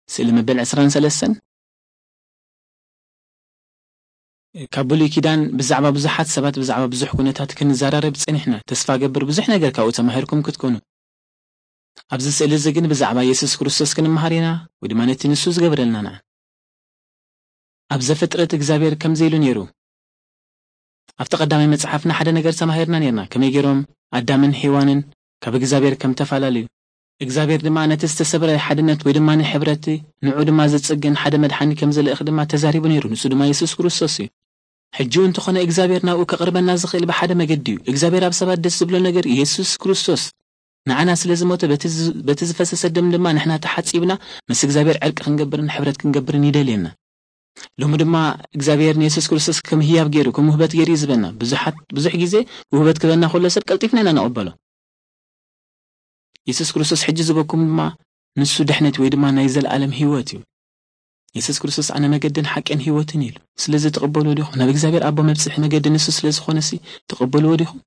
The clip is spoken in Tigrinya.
ስእሊ መበል ዕስራን ሰለስተን። ካብ ብሉይ ኪዳን ብዛዕባ ብዙሓት ሰባት፣ ብዛዕባ ብዙሕ ኩነታት ክንዘራረብ ጸኒሕና። ተስፋ ገብር ብዙሕ ነገር ካብኡ ተማሂርኩም ክትኮኑ። ኣብዚ ስእሊ እዚ ግን ብዛዕባ የሱስ ክርስቶስ ክንመሃር ኢና፣ ወይ ድማ ነቲ ንሱ ዝገብረልና ንዓ። ኣብ ዘፍጥረት እግዚኣብሔር ከምዚ ኢሉ ነይሩ። ኣብቲ ቀዳማይ መጽሓፍና ሓደ ነገር ተማሂርና ነይርና፣ ከመይ ገይሮም ኣዳምን ሄዋንን ካብ እግዚኣብሔር ከም ተፈላለዩ። እግዚኣብሔር ድማ ነቲ ዝተሰብረ ሓድነት ወይ ድማ ንሕብረቲ ንዑ ድማ ዝጽግን ሓደ መድሓኒ ከም ዝልእኽ ድማ ተዛሪቡ ነይሩ። ንሱ ድማ የሱስ ክርስቶስ እዩ። ሕጂ እውን እንተኾነ እግዚኣብሔር ናብኡ ከቕርበና ዝኽእል ብሓደ መገዲ እዩ። እግዚኣብሔር ኣብ ሰባት ደስ ዝብሎ ነገር የሱስ ክርስቶስ ንዓና ስለ ዝሞተ በቲ ዝ-፣ በቲ ዝፈሰሰ ደም ድማ ንሕና ተሓጺብና ምስ እግዚኣብሔር ዕርቂ ክንገብርን ሕብረት ክንገብርን ይደልየና። ሎሚ ድማ እግዚኣብሔር ንየሱስ ክርስቶስ ከም ህያብ ገይሩ፣ ከም ውህበት ገይሩ እዩ ዝበና። ብዙሓት፣ ብዙሕ ግዜ ውህበት ክበና ከሎ ሰብ ቀልጢፍና ኢና ንቕበሎ። የሱስ ክርስቶስ ሕጂ ዝበኩም ድማ ንሱ ድሕነት ወይ ድማ ናይ ዘለኣለም ህይወት እዩ። የሱስ ክርስቶስ ኣነ መገድን ሓቅን ህይወትን ኢሉ። ስለዚ ትቕበልዎ ዲኹም? ናብ እግዚኣብሔር ኣቦ መብጽሒ መገዲ ንሱ ስለ ዝኾነ ሲ ትቕበልዎ ዲኹም?